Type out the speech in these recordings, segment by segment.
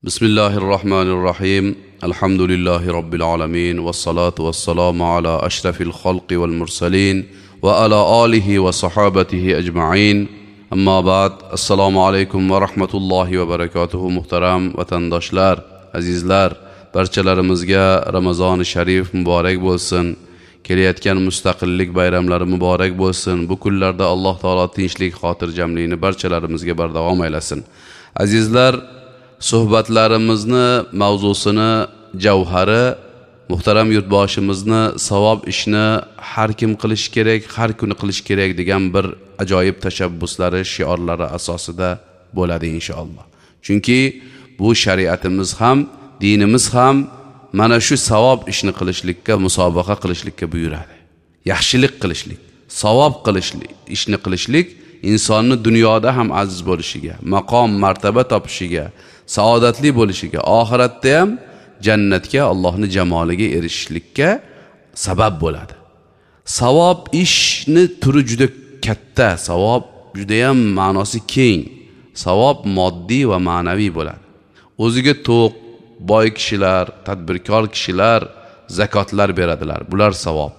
Bismillahirrohmanirrohim. Alhamdulillahi robbil alamin vassalatu vassalamu ala ashrafil xalqi val mursalin va ala alihi va sahobatihi ajma'in. Ammo ba'd. Assalomu alaykum va rahmatullohi va barakatuhu. Muhtaram vatandoshlar, azizlar, barchalarimizga Ramazoni sharif muborak bo'lsin. Kelayotgan mustaqillik bayramlari muborak bo'lsin. Bu kunlarda Alloh taolo tinchlik, xotirjamlikni barchalarimizga bardavom aylasin. Azizlar, suhbatlarimizni mavzusini javhari muhtaram yurtboshimizni savob ishni har kim qilish kerak, har kuni qilish kerak degan bir ajoyib tashabbuslari, shiorlari asosida bo'ladi inshaalloh. Chunki bu shariatimiz ham, dinimiz ham mana shu savob ishni qilishlikka, musobaqa qilishlikka buyuradi. Yaxshilik qilishlik, savob qilishlik, ishni qilishlik insonni dunyoda ham aziz bo'lishiga, maqom, martaba topishiga, saodatli bo'lishiga, oxiratda ham jannatga, Allohning jamoliga erishishlikka sabab bo'ladi. Savob ishni turi juda katta, savob juda ham ma'nosi keng. Savob moddiy va ma'naviy bo'ladi. O'ziga to'q, boy kishilar, tadbirkor kishilar zakotlar beradilar. Bular savob.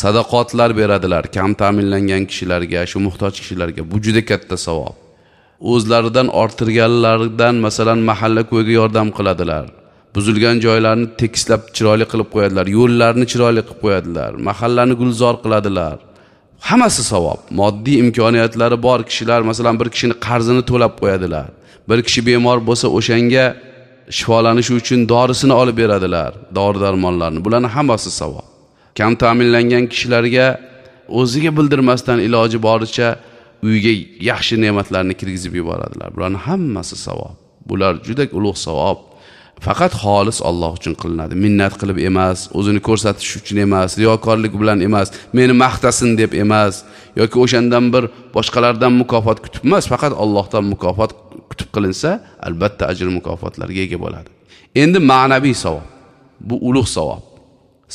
Sadaqotlar beradilar kam ta'minlangan kishilarga, shu muhtoj kishilarga. Bu juda katta savob. O'zlaridan orttirganlaridan, masalan, mahalla ko'yga yordam qiladilar. Buzilgan joylarni tekislab chiroyli qilib qo'yadilar, yo'llarni chiroyli qilib qo'yadilar, mahallani gulzor qiladilar. Hammasi savob. Moddiy imkoniyatlari bor kishilar, masalan, bir kishini qarzini to'lab qo'yadilar. Bir kishi bemor bo'lsa, o'shanga shifolanishi uchun dorisini olib beradilar, dori-darmonlarni. Bularning hammasi savob. Kam ta'minlangan kishilarga o'ziga bildirmasdan iloji boricha uyga yaxshi ne'matlarni kirgizib yuboradilar. Bularning hammasi savob. Bular juda ulug' savob. Faqat xolis Alloh uchun qilinadi. Minnat qilib emas, o'zini ko'rsatish uchun emas, riyokorlik bilan emas, meni maqtasin deb emas, yoki o'shandan bir boshqalardan mukofot kutib emas, faqat Allohdan mukofot kutib qilinsa, albatta ajr mukofotlarga ega bo'ladi. Endi ma'naviy savob. Bu ulug' savob.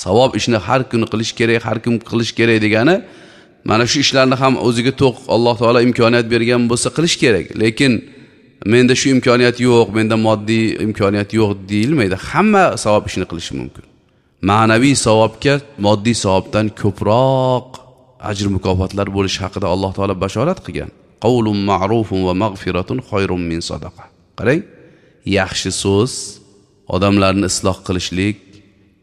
Savob ishni har kuni qilish kerak, har kim qilish kerak degani mana shu ishlarni ham o'ziga to'q Alloh taolo imkoniyat bergan bo'lsa qilish kerak. Lekin menda shu imkoniyat yo'q, menda moddiy imkoniyat yo'q deyilmaydi. Hamma savob ishini qilishi mumkin. Ma'naviy savobga moddiy savobdan ko'proq ajr mukofotlar bo'lishi haqida Alloh taolo bashorat qilgan. Qawlun ma'rufun va mag'firatun khayrun min sadaqa. Qarang, yaxshi so'z, odamlarni isloh qilishlik,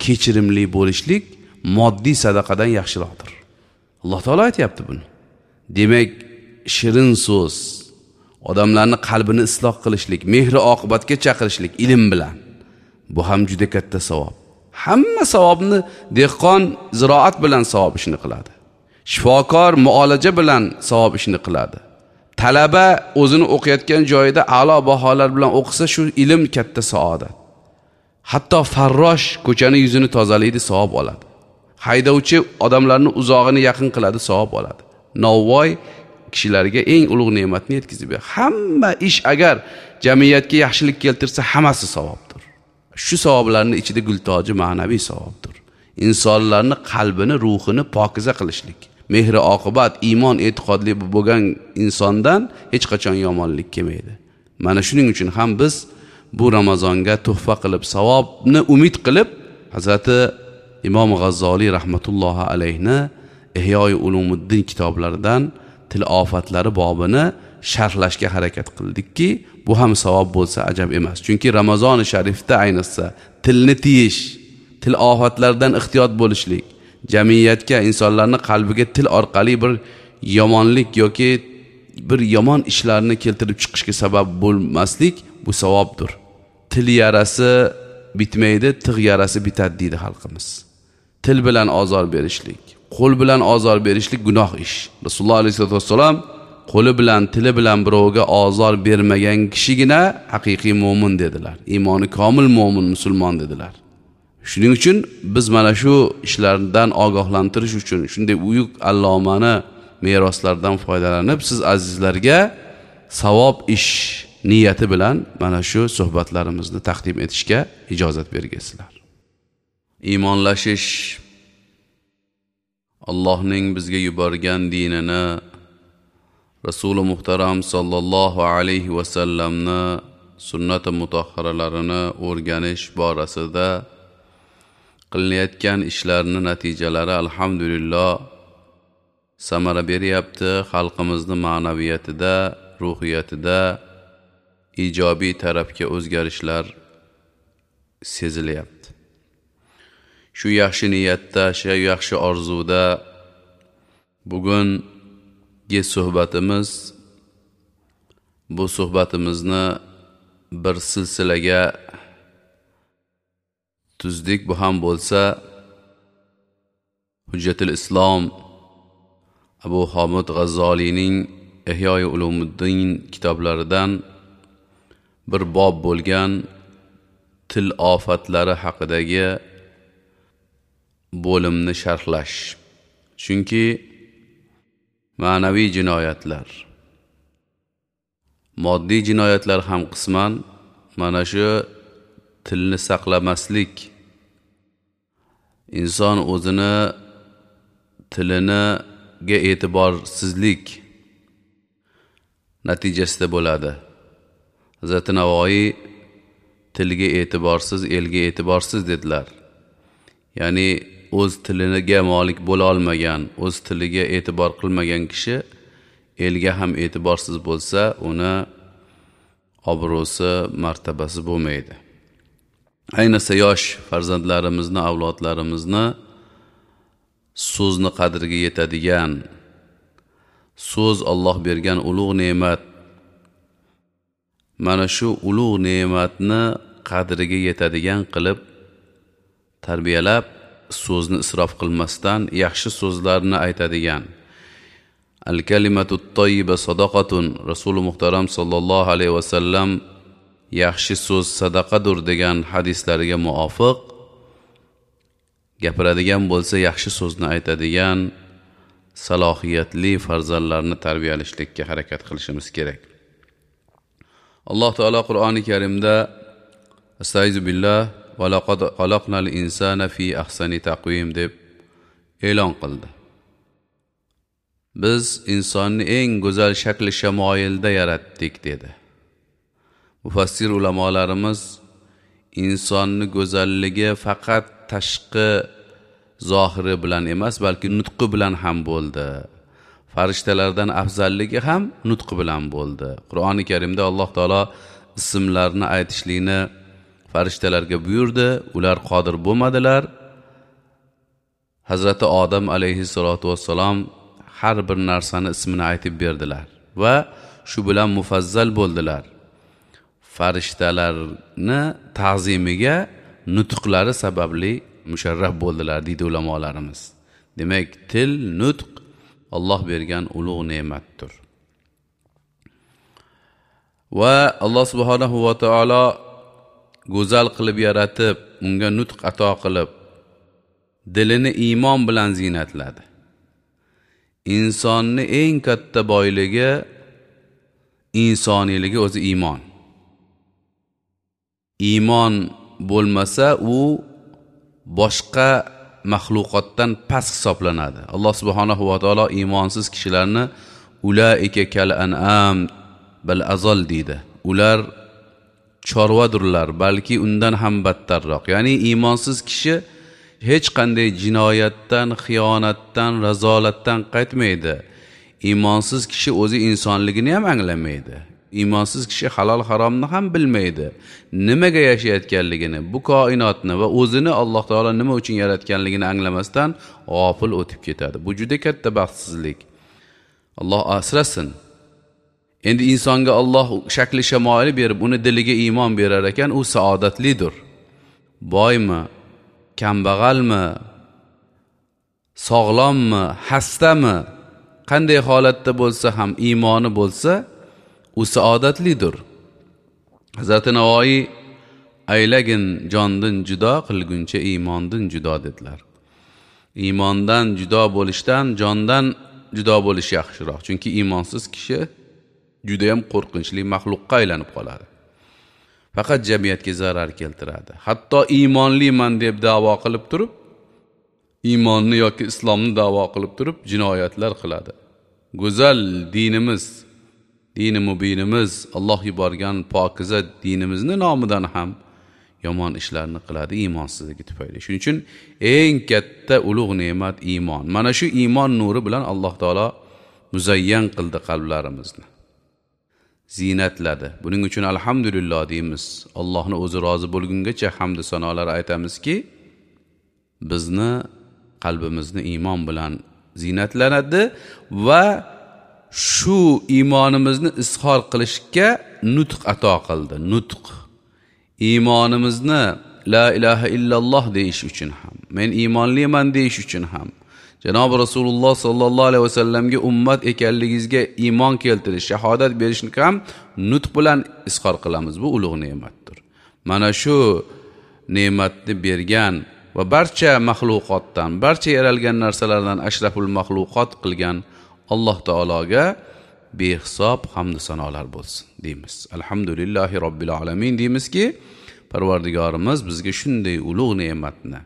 kechirimli bo'lishlik moddiy sadaqadan yaxshiroqdir. Alloh taolo aytayapti buni. Demak, shirin so'z, odamlarni qalbini isloh qilishlik, mehri oqibatga chaqirishlik ilm bilan. Bu ham juda katta savob. Hamma savobni dehqon ziroat bilan savob ishini qiladi. Shifokor muolaja bilan savob ishini qiladi. Talaba o'zini o'qiyotgan joyida a'lo baholar bilan o'qisa, shu ilm katta saodat. Hatto farrosh ko'chani yuzini tozalaydi, savob oladi. Haydovchi odamlarni uzog'ini yaqin qiladi, savob oladi. Novvoy kishilarga eng ulug' ne'matni yetkazib beradi. Hamma ish agar jamiyatga yaxshilik keltirsa, hammasi savobdir. Shu savoblarning ichida gultoji ma'naviy savobdir. Insonlarni qalbini, ruhini pokiza qilishlik, mehri oqibat, iymon e'tiqodli bo'lgan insondan hech qachon yomonlik kelmaydi. Mana shuning uchun ham biz bu Ramazonga tuhfa qilib, savobni umid qilib, Hazrati Imom G'azzoliy rahmatullohi alayhni Ihyoi Ulumuddin kitoblaridan til ofatlari bobini sharhlashga harakat qildikki, bu ham savob bo'lsa ajab emas. Chunki Ramazoni sharifda ayniqsa tilni tiyish, til ofatlaridan ehtiyot bo'lishlik, jamiyatga, insonlarning qalbiga til orqali bir yomonlik yoki bir yomon ishlarni keltirib chiqishga sabab bo'lmaslik bu savobdir. Til yarasi bitmaydi, tig' yarasi bitadi deydi xalqimiz. Til bilan ozor berishlik, qo'l bilan ozor berishlik gunoh ish. Rasululloh alayhisolatu vassalam qo'li bilan, tili bilan birovga ozor bermagan kishigina haqiqiy mo'min dedilar. Iymoni komil mo'min musulmon dedilar. Shuning uchun biz mana shu ishlardan ogohlantirish uchun shunday buyuk allomani meroslaridan foydalanib siz azizlarga savob ish niyati bilan mana shu suhbatlarimizni taqdim etishga ijozat bergaysizlar. Iymonlashish Allohning bizga yuborgan dinini, Rasuli muhtaram sallallohu alayhi va sallamni sunnati mutahharalarini o'rganish borasida qilinayotgan ishlarning natijalari alhamdulillah samara beryapti. Xalqimizni ma'naviyatida, ruhiyatida ijobiy tarafga o'zgarishlar sezilyapti. Shu yaxshi niyatda, shu yaxshi orzuda bugungi suhbatimiz, bu suhbatimizni bir silsilaga tuzdik. Bu ham bo'lsa Hujjatul Islom Abu Hamid G'azzoliyning Ihyoi Ulumuddin kitoblaridan bir bob bo'lgan til ofatlari haqidagi bo'limni sharhlash. Chunki ma'naviy jinoyatlar, moddiy jinoyatlar ham qisman mana shu tilni saqlamaslik, inson o'zini tiliniga e'tiborsizlik natijasida bo'ladi. Hazrati Navoiy tilga e'tiborsiz, elga e'tiborsiz dedilar. Ya'ni o'z tiliga molik bo'la olmagan, o'z tiliga e'tibor qilmagan kishi elga ham e'tiborsiz bo'lsa, uni obro'si, martabasi bo'lmaydi. Ayniqsa yosh farzandlarimizni, avlodlarimizni so'zni qadriga yetadigan, so'z Alloh bergan ulug' ne'mat, mana shu ulug' ne'matni qadriga yetadigan qilib tarbiyalab, so'zni isrof qilmasdan yaxshi so'zlarni aytadigan. Al-kalimatut tayyiba sadaqatun, Rasuli muhtaram sallallohu alayhi vasallam yaxshi so'z sadaqadur degan hadislariga muvofiq gapiradigan bo'lsa, yaxshi so'zni aytadigan salohiyatli farzandlarni tarbiyalashlikka harakat qilishimiz kerak. Alloh taolo Qur'oni Karimda Astaizu billah va laqad xalaqnal insana fi ahsani taqvim deb e'lon qildi. Biz insonni eng go'zal shakli shamoilda yaratdik dedi. Mufassir ulamolarimiz insonni go'zalligi faqat tashqi zohiri bilan emas, balki nutqi bilan ham bo'ldi. Farishtalardan afzalligi ham nutqi bilan bo'ldi. Qur'oni Karimda Alloh taolo ismlarni aytishlikni farishtalarga buyurdi, ular qodir bo'lmadilar. Hazrati Odam alayhissalatu vassalom har bir narsani ismini aytib berdilar va shu bilan mufazzal bo'ldilar. Farishtalarni ta'zimiga nutqlari sababli musharraf bo'ldilar deydi ulamolarimiz. Demak, til, nutq Alloh bergan ulug' ne'matdir. Va Alloh subhanahu va taolo go'zal qilib yaratib, unga nutq ato qilib, dilini iymon bilan ziynatladi. Insonni eng katta boyligi insoniyligi o'zi iymon. Iymon bo'lmasa u boshqa maxluqotdan past hisoblanadi. Alloh subhanahu va taolo iymonsiz kishilarni ulaika kal an'am bal azal deydi. Ular chorvadurlar, balki undan ham battarroq. Ya'ni iymonsiz kishi hech qanday jinoyatdan, xiyonatdan, razolatdan qaytmaydi. Iymonsiz kishi o'zi insonligini ham anglamaydi. Iymonsiz kishi halol haromni ham bilmaydi. Nimaga yashayotganligini, bu koinotni va o'zini Alloh taolo nima uchun yaratganligini anglamasdan g'ofil o'tib ketadi. Bu juda katta baxtsizlik. Alloh asrasin. Endi insonga Alloh shakli shamoili berib, uni diliga iymon berar ekan, u saodatlidir. Boymi, kambag'almi, sog'lommi, xastami, qanday holatda bo'lsa ham iymoni bo'lsa, u saodatlidir. Hazrati Navoiy aylagin jondin judo qilguncha iymondin judo dedilar. Iymondan judo bo'lishdan jondan judo bo'lish yaxshiroq. Chunki iymonsiz kishi juda ham qo'rqinchli maxluqqa aylanib qoladi. Faqat jamiyatga zarar keltiradi. Hatto iymonliman deb da'vo qilib turib, iymonni yoki islomni da'vo qilib turib jinoyatlar qiladi. Go'zal dinimiz, Dini mubinimiz, Alloh yuborgan pokiza dinimizni nomidan ham yomon ishlarni qiladi iymonsizligi tufayli. Shuning uchun eng katta ulug' ne'mat iymon. Mana shu iymon nuri bilan Alloh taolo muzayyan qildi qalblarimizni. Zinatladi. Buning uchun alhamdulillah deymiz. Allohni o'zi rozi bo'lgungacha hamd sanolar aytamizki, bizni qalbimizni iymon bilan zinatlanadi va shu iymonimizni izhor qilishga nutq ato qildi. Nutq. Iymonimizni la ilaha illalloh deyish uchun ham, men iymonliman deyish uchun ham, Janob Rasululloh sallallohu alayhi vasallamga ummat ekanligingizga iymon keltirish, shahodat berishni ham nutq bilan izhor qilamiz. Bu ulug' ne'matdir. Mana shu ne'matni bergan va barcha maxluqotdan, barcha yaralgan narsalardan ashraful maxluqot qilgan Alloh taologa behisob hamd sanolar bo'lsin deymiz. Alhamdulillahi robbil alamin deymizki, Parvardigorimiz bizga shunday ulug' ne'matni,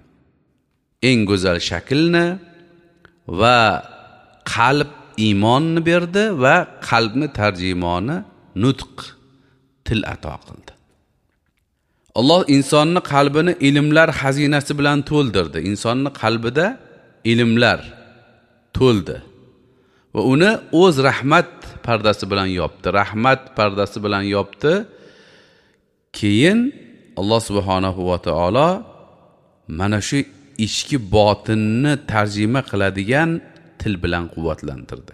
eng go'zal shaklni va qalb iymonni berdi va qalbni tarjimoni nutq, til ato qildi. Alloh insonni qalbini ilmlar xazinasi bilan to'ldirdi. Insonni qalbida ilmlar to'ldi va uni o'z rahmat pardasi bilan yopdi. Rahmat pardasi bilan yopdi. Keyin Alloh subhanahu va taolo mana shu ichki botinni tarjima qiladigan til bilan quvvatlantirdi.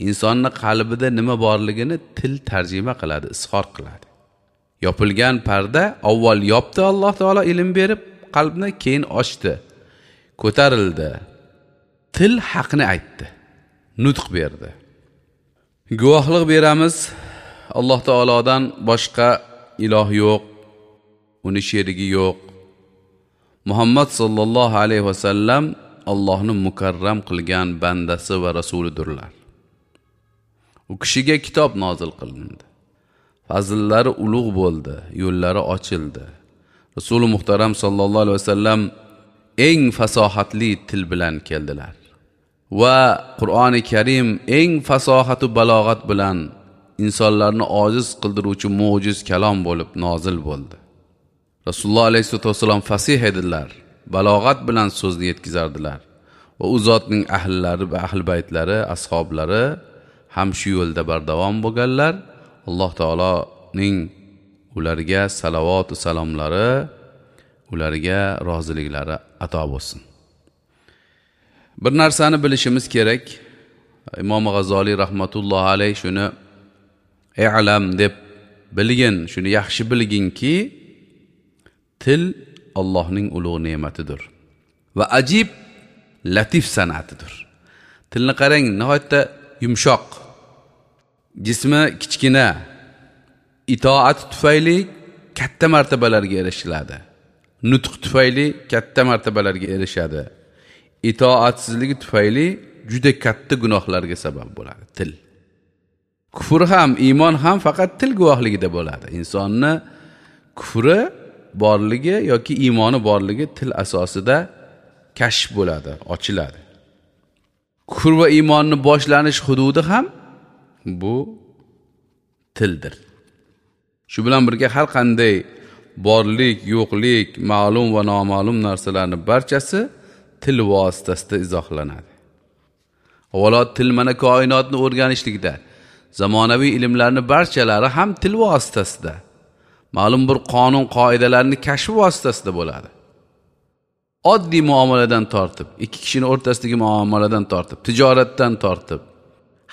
Insonni qalbida nima borligini til tarjima qiladi, izhor qiladi. Yopilgan parda avval yopdi Alloh taolo ilm berib qalbni, keyin ochdi, ko'tarildi. Til haqni aytdi, nutq berdi. Guvohlik beramiz, Alloh taolodan boshqa iloh yo'q, uni sherigi yo'q. Muhammad sallallohu alayhi vasallam Allohni mukarram qilgan bandasi va rasulidirlar. U kishiga kitob nozil qilindi. Fazillari ulug' bo'ldi, yo'llari ochildi. Rasuli muhtaram sallallohu alayhi vasallam eng fasohatli til bilan keldilar. Va Qur'oni Karim eng fasohatu balog'at bilan insonlarni ojiz qildiruvchi mo'jiz kalom bo'lib nozil bo'ldi. Rasululloh alayhissalatu vassalom fasih edilar, balog'at bilan so'zni yetkazardilar va u zotning ahllari va ahli baytlari, ashablari ham shu yo'lda bardavom bo'lganlar. Alloh taoloning ularga salovat va salomlari, ularga roziliklari ato bo'lsin. Bir narsani bilishimiz kerak. Imom G'azoliy rahmatullohi alayh shuni i'lam deb bilgin, shuni yaxshi bilginki, til Allohning ulug' ne'matidir va ajib latif san'atidir. Tilni qarang, nihoyatda yumshoq, jismi kichkina, itoat tufayli katta martabalarga erishiladi. Nutq tufayli katta martabalarga erishadi. Itoatsizligi tufayli juda katta gunohlarga sabab bo'ladi til. Kufr ham, iymon ham faqat til guvohligida bo'ladi. Insonni kufri borligi yoki iymoni borligi til asosida kashf bo'ladi, ochiladi. Kufr va iymonni boshlanish hududi ham bu tildir. Shu bilan birga har qanday borlik, yo'qlik, ma'lum va noma'lum narsalarning barchasi til vositasida izohlanadi. Avvalo til mana koinotni o'rganishlikda, zamonaviy ilmlarning barchalari ham til vositasida, ma'lum bir qonun qoidalarni kashf vositasida bo'ladi. Oddiy muomaladan tortib, ikki kishining o'rtasidagi muomaladan tortib, tijoratdan tortib,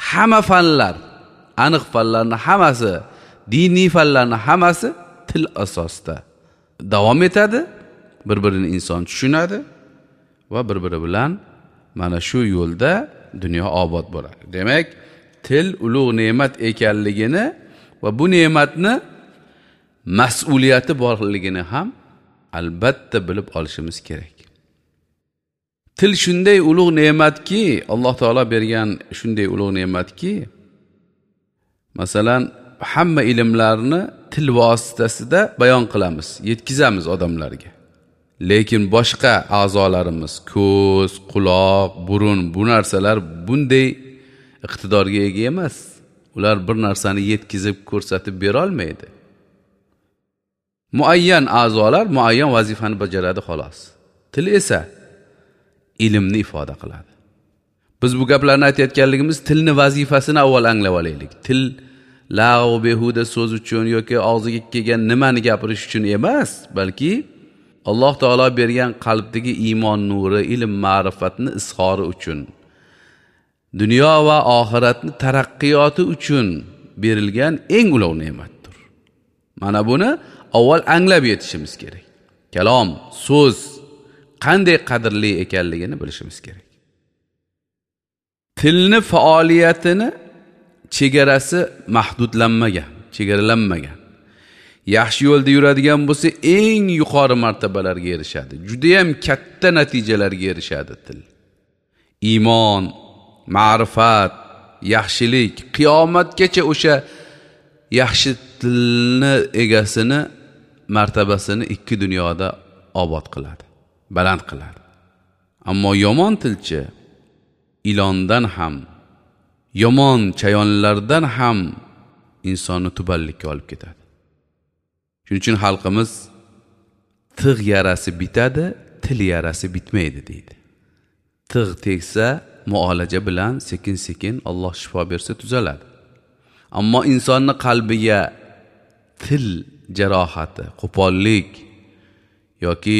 hamma fanlar, aniq fanlarning hammasi, diniy fanlarning hammasi til asosida davom etadi. Bir-birini inson tushunadi va bir-biri bilan mana shu yo'lda dunyo obod bo'ladi. Demak, til ulug' ne'mat ekanligini va bu ne'matni mas'uliyati borligini ham albatta bilib olishimiz kerak. Til shunday ulug' ne'matki, Alloh taolo bergan shunday ulug' ne'matki, masalan, hamma ilmlarni til vositasida bayon qilamiz, yetkazamiz odamlarga. Lekin boshqa a'zolarimiz, ko'z, quloq, burun, bu narsalar bunday iqtidorga ega emas. Ular bir narsani yetkazib ko'rsatib bera olmaydi. Muayyan a'zolar muayyan vazifani bajaradi xolos. Til esa ilmni ifoda qiladi. Biz bu gaplarni aytayotganligimiz tilni vazifasini avval anglab olaylik. Til lag'v behuda so'z uchun yoki og'ziga kelgan nimani gapirish uchun emas, balki Alloh taolo bergan qalbdagi iymon nuri, ilm ma'rifatni izhori uchun, dunyo va oxiratni taraqqiyoti uchun berilgan eng ulug' ne'matdir. Mana buni avval anglab yetishimiz kerak. Kalom, so'z qanday qadrli ekanligini bilishimiz kerak. Tilni faoliyatini chegarasi mahdudlanmagan, chegaralanmagan. Yaxshi yo'lda yuradigan bo'lsa, eng yuqori martabalarga erishadi. Juda ham katta natijalarga erishadi til. Iymon, ma'rifat, yaxshilik, qiyomatgacha o'sha yaxshi tilni egasini martabasini ikki dunyoda obod qiladi, baland qiladi. Ammo yomon tilchi ilondan ham, yomon chayonlardan ham insonni tubanlikka olib ketadi. Shuning uchun xalqimiz tig' yarasi bitadi, til yarasi bitmaydi deydi. Tig' tegsa muolaja bilan sekin-sekin Alloh shifo bersa tuzaladi. Ammo insonni qalbiga til jarohati, qo'pollik yoki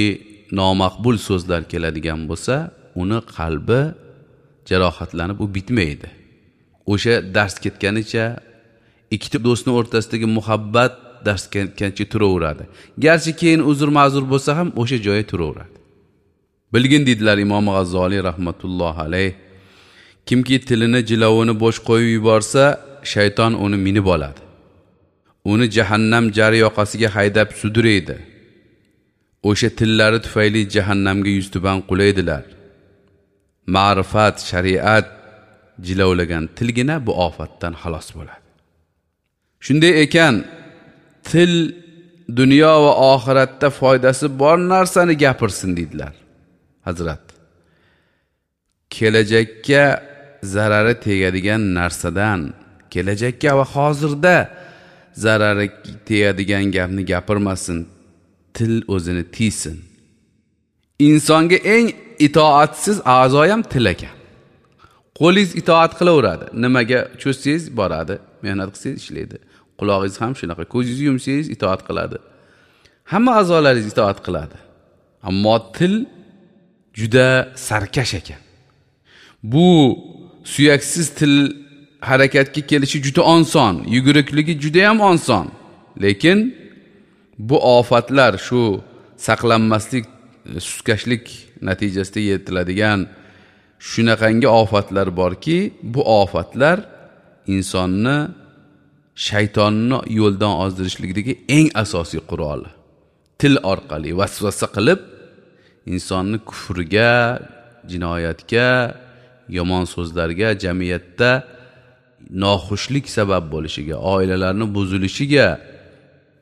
nomaqbul so'zlar keladigan bo'lsa, uni qalbi jarohatlanib u bitmaydi. O'sha dars ketganicha ikkita do'stning o'rtasidagi muhabbat dars ketgancha turaveradi. Garchi keyin uzr ma'zur bo'lsa ham o'sha joyi turaveradi. Bilgin dedilar Imom G'azzoliy rahmatullohi alayh, kimki tilini jilovini bo'sh qo'yib yuborsa, shayton uni minib oladi. Uni jahannam jari yoqasiga haydab sudraydi. O'sha tillari tufayli jahannamga yuztuban qulaydilar. Ma'rifat, shariat jilovlagan tilgina bu ofatdan xalos bo'ladi. Shunday ekan, til dunyo va oxiratda foydasi bor narsani gapirsin dedilar Hazrat. Kelajakka zarari tegadigan narsadan, kelajakka va hozirda zarari tegadigan gapni gapirmasin, til o'zini tiysin. Insonga eng itoatsiz a'zo ham til ekan. Qo'lingiz itoat qilaveradi. Nimaga cho'zsangiz boradi, mehnat qilsangiz ishlaydi. Qulog'ingiz ham shunaqa, ko'zingizni yumsangiz itoat qiladi. Hamma a'zolaringiz itoat qiladi. Ammo til juda sarkash ekan. Bu suyaksiz til harakatga kelishi juda oson, yugurikligi juda ham oson. Lekin bu ofatlar shu saqlanmaslik, suskashlik natijasida yetiladigan shunaqangi ofatlar borki, bu ofatlar insonni shaytonni yo'ldan ozdirishlikdagi eng asosiy quroli. Til orqali vasvasa qilib insonni kufrga, jinoyatga, yomon so'zlarga, jamiyatda noxushlik sabab bo'lishiga, oilalarni buzilishiga,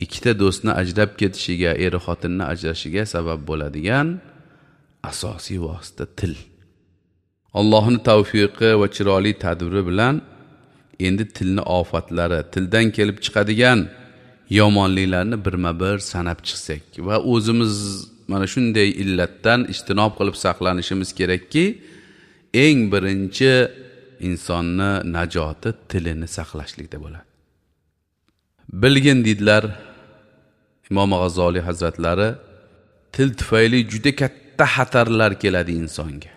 ikkita do'stni ajrab ketishiga, er xotinni ajrashiga sabab bo'ladigan asosiy vosita til. Allohning tavfiqi va chiroyli tadbiri bilan endi tilni ofatlari, tildan kelib chiqadigan yomonliklarni birma-bir sanab chiqsak va o'zimiz mana shunday illatdan ijtinob qilib saqlanishimiz kerakki, eng birinchi insonni najoti tilini saqlashlikda bo'ladi. Bilgin dedilar Imom G'azzoliy hazratlari, til tufayli juda katta xatarlar keladi insonga.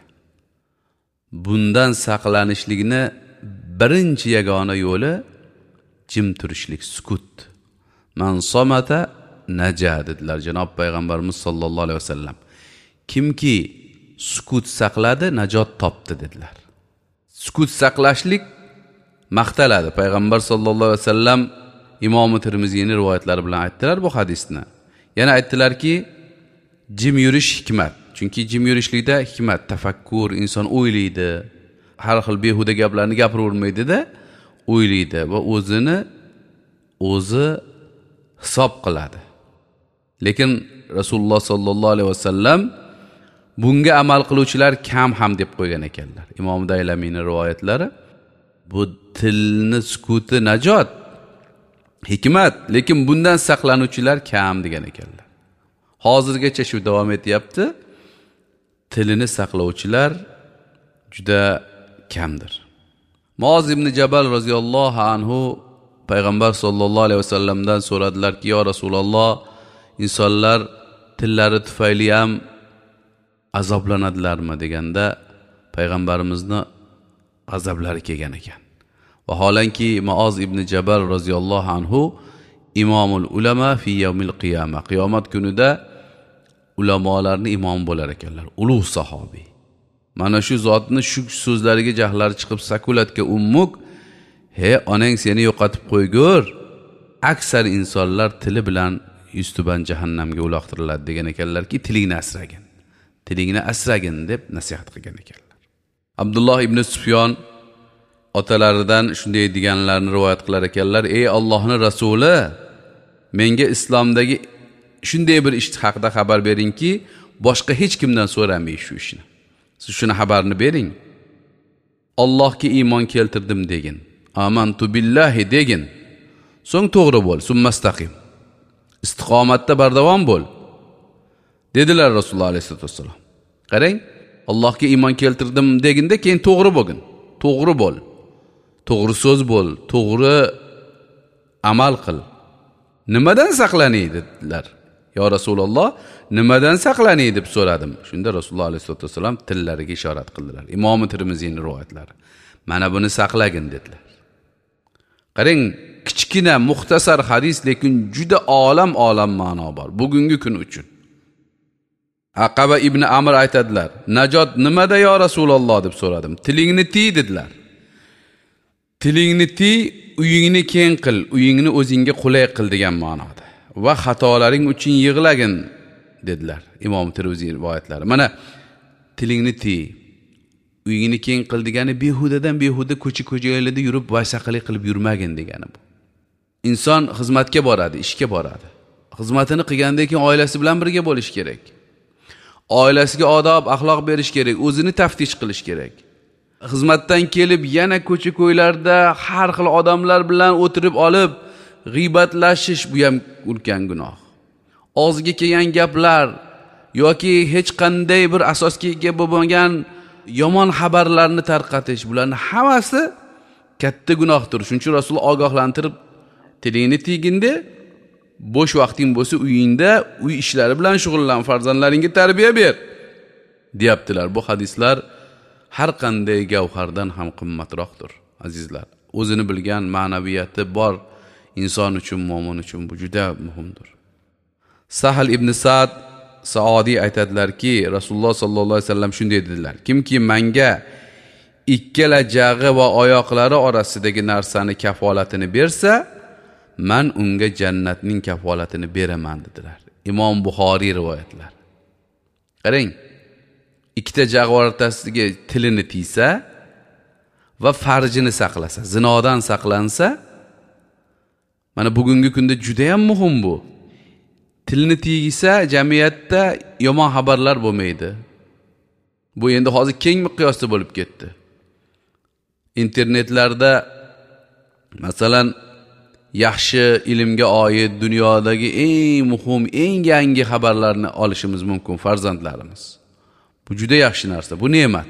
Bundan saqlanishlikni birinchi yagona yo'li jim turishlik, sukut. Man somata naja dedilar janob payg'ambarimiz sollallohu alayhi vasallam. Kimki sukut saqladi, najot topdi dedilar. Sukut saqlashlik maqtaladi. Payg'ambar sollallohu alayhi vasallam Imom Termiziyning rivoyatlari bilan aytdilar bu hadisni. Yana aytdilarki, jim yurish hikmat. Chunki jim yurishlikda hikmat, tafakkur, inson o'ylaydi. Har xil behuda gaplarni gapiravermaydi-da, o'ylaydi va o'zini o'zi hisob qiladi. Lekin Rasululloh sallallohu alayhi vasallam bunga amal qiluvchilar kam ham deb qo'ygan ekanlar. Imom Daylamiyning rivoyatlari. Bu tilni sukuti najot, hikmat, lekin bundan saqlanuvchilar kam degan ekanlar. Hozirgacha shu davom etyapti. Tilini saqlovchilar juda kamdir. Muoz ibn Jabal roziyallohu anhu payg'ambar sollallohu alayhi vasallamdan so'radilarki, "Ya Rasululloh, insonlar tillari tufayli ham azoblanadilarmi?" deganda payg'ambarimizni azoblari kelgan ekan. Vaholanki Muoz ibn Jabal roziyallohu anhu imomul ulama fi yawmil qiyama, qiyomat kunida ulamolarning imomi bo'lar ekanlar, ulug' sahobiy. Mana shu zotni shu so'zlariga jahllari chiqib, sakulatga ummuk, he onang seni yo'qotib qo'ygur, aksar insonlar tili bilan yuztuban jahannamga uloqtiriladi degan ekanlarki, tilingni asragin, tilingni asragin deb nasihat qilgan ekanlar. Abdulloh ibn Sufyon otalaridan shunday deganlarni rivoyat qilar ekanlar: "Ey Allohning rasuli, menga islomdagi shunday bir ish haqida xabar beringki, boshqa hech kimdan so'ramay shu ishni. Siz shuni xabarini bering. Allohga iymon keltirdim degin. Amantu billahi degin. So'ng to'g'ri bo'l, summastaqim. Istiqomatda bardavom bo'l." Dedilar Rasululloh alayhisolatu vassalom. Qarang, Allohga iymon keltirdim deginda keyin to'g'ri bo'lgin. To'g'ri bo'l. To'g'ri so'z bo'l, to'g'ri amal qil. Nimadan saqlanay dedilar. Ya Rasululloh, nimadan saqlanay deb so'radim. Shunda Rasululloh alayhisolatu vassalom tillariga ishorat qildilar. Imom Termiziyning rivoyatlari. Mana buni saqlagin dedilar. Qarang, kichkina muxtasar hadis, lekin juda olam-olam ma'no bor bugungi kun uchun. Aqaba ibn Amr aytadilar: "Najot nimada ya Rasululloh?" deb so'radim. "Tilingni tiy" dedilar. Tilingni tiy, uyingni keng qil, uyingni o'zingga qulay qil degan ma'noda. Va xatolaring uchun yig'lagin dedilar. Imom Termiziy rivoyatlari. Mana tilingni tiy, uyingni keng qil degani behudadan behuda ko'cha-ko'chalarda yurib vaysaqalik qilib yurmagin degani bu. Inson xizmatga boradi, ishga boradi. Xizmatini qilgandan keyin oilasi bilan birga bo'lish kerak. Oilasiga odob, axloq berish kerak, o'zini taftish qilish kerak. Xizmatdan kelib yana ko'cha-ko'ylarda har xil odamlar bilan o'tirib olib g'iybatlashish, bu ham ulkan gunoh. Og'ziga kelgan gaplar yoki hech qanday bir asosga ega bo'lmagan yomon xabarlarni tarqatish, bularning hammasi katta gunohdir. Shuning uchun Rasul ogohlantirib, tilingni tiyginda, bo'sh vaqting bo'lsa uyingda uy ishlari bilan shug'ullan, farzandlaringga tarbiya ber deyaptilar. Bu hadislar har qanday gavhardan ham qimmatroqdir, azizlar. O'zini bilgan, ma'naviyati bor inson uchun, mo'min uchun bu juda muhimdir. Sahl ibn Sa'd Saodiy aytadilarki, Rasululloh sallallohu alayhi vasallam shunday dedilar: kimki menga ikkala jag'i va oyoqlari orasidagi narsani kafolatini bersa, men unga jannatning kafolatini beraman dedilar. Imom Buxoriy rivoyatlari. Qarang, ikkita jag' o'rtasidagi tilini tiysa va farjini saqlasa, zinodan saqlansa, mana bugungi kunda juda ham muhim bu. Tilni tiygisa jamiyatda yomon xabarlar bo'lmaydi. Bu endi hozir keng miqyosda bo'lib ketdi. Internetlarda masalan yaxshi ilmga oid dunyodagi eng muhim, eng yangi xabarlarni olishimiz mumkin farzandlarimiz. Bu juda yaxshi narsa, bu ne'mat.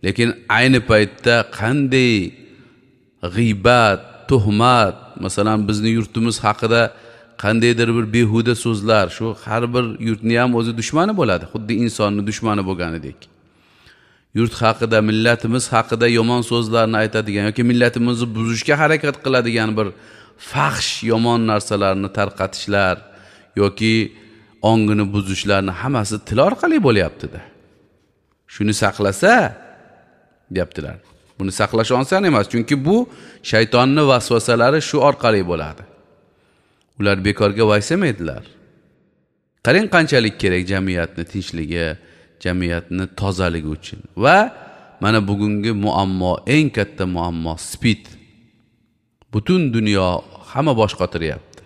Lekin ayni paytda qanday g'iybat, tuhmat, masalan bizni yurtimiz haqida qandaydir bir behuda so'zlar, shu har bir yurtni ham o'zi dushmani bo'ladi, xuddi insonni dushmani bo'lganidek. Yurt haqida, millatimiz haqida yomon so'zlarni aytadigan yoki millatimizni buzishga harakat qiladigan bir fahsh yomon narsalarni tarqatishlar yoki ongini buzishlarni hammasi til orqali bo'lyapti-da. Shuni saqlasa deyaptilar. Buni saqlash oson emas, chunki bu shaytonning vasvasalari shu orqali bo'ladi. Ular bekorga vaysamaydilar. Qarang qanchalik kerak jamiyatni tinchligi, jamiyatni tozaligi uchun. Va mana bugungi muammo, eng katta muammo SPID. Butun dunyo hamma bosh qotiryapti.